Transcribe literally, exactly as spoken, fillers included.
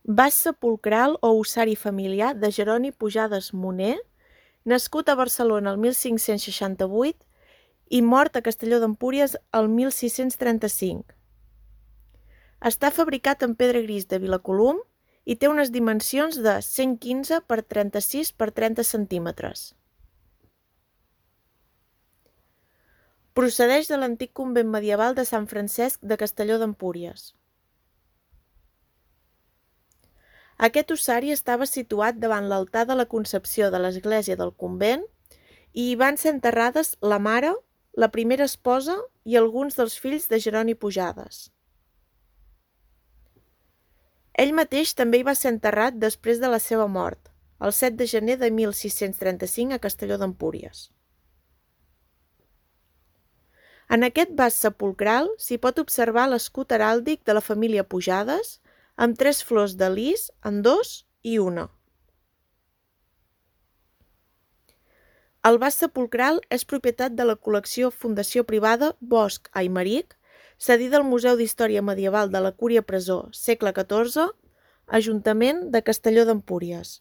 Vas sepulcral o ossari familiar de Jeroni Pujades Moner, nascut a Barcelona el mil cinc-cents seixanta-vuit i mort a Castelló d'Empúries el mil sis-cents trenta-cinc. Està fabricat en pedra gris de Vilacolum i té unes dimensions de cent quinze per trenta-sis per trenta centímetres. Procedeix de l'antic convent medieval de Sant Francesc de Castelló d'Empúries. Aquest ossari estava situat davant l'altar de la Concepció de l'església del convent i hi van ser enterrades la mare, la primera esposa i alguns dels fills de Jeroni Pujades. Ell mateix també hi va ser enterrat després de la seva mort, el set de gener de mil sis-cents trenta-cinc a Castelló d'Empúries. En aquest vas sepulcral s'hi pot observar l'escut heràldic de la família Pujades, amb tres flors de lis en dos i una. El vas sepulcral és propietat de la col·lecció Fundació Privada Bosch Aymeric, cedida al Museu d'Història Medieval de la Cúria Presó, segle catorze, Ajuntament de Castelló d'Empúries.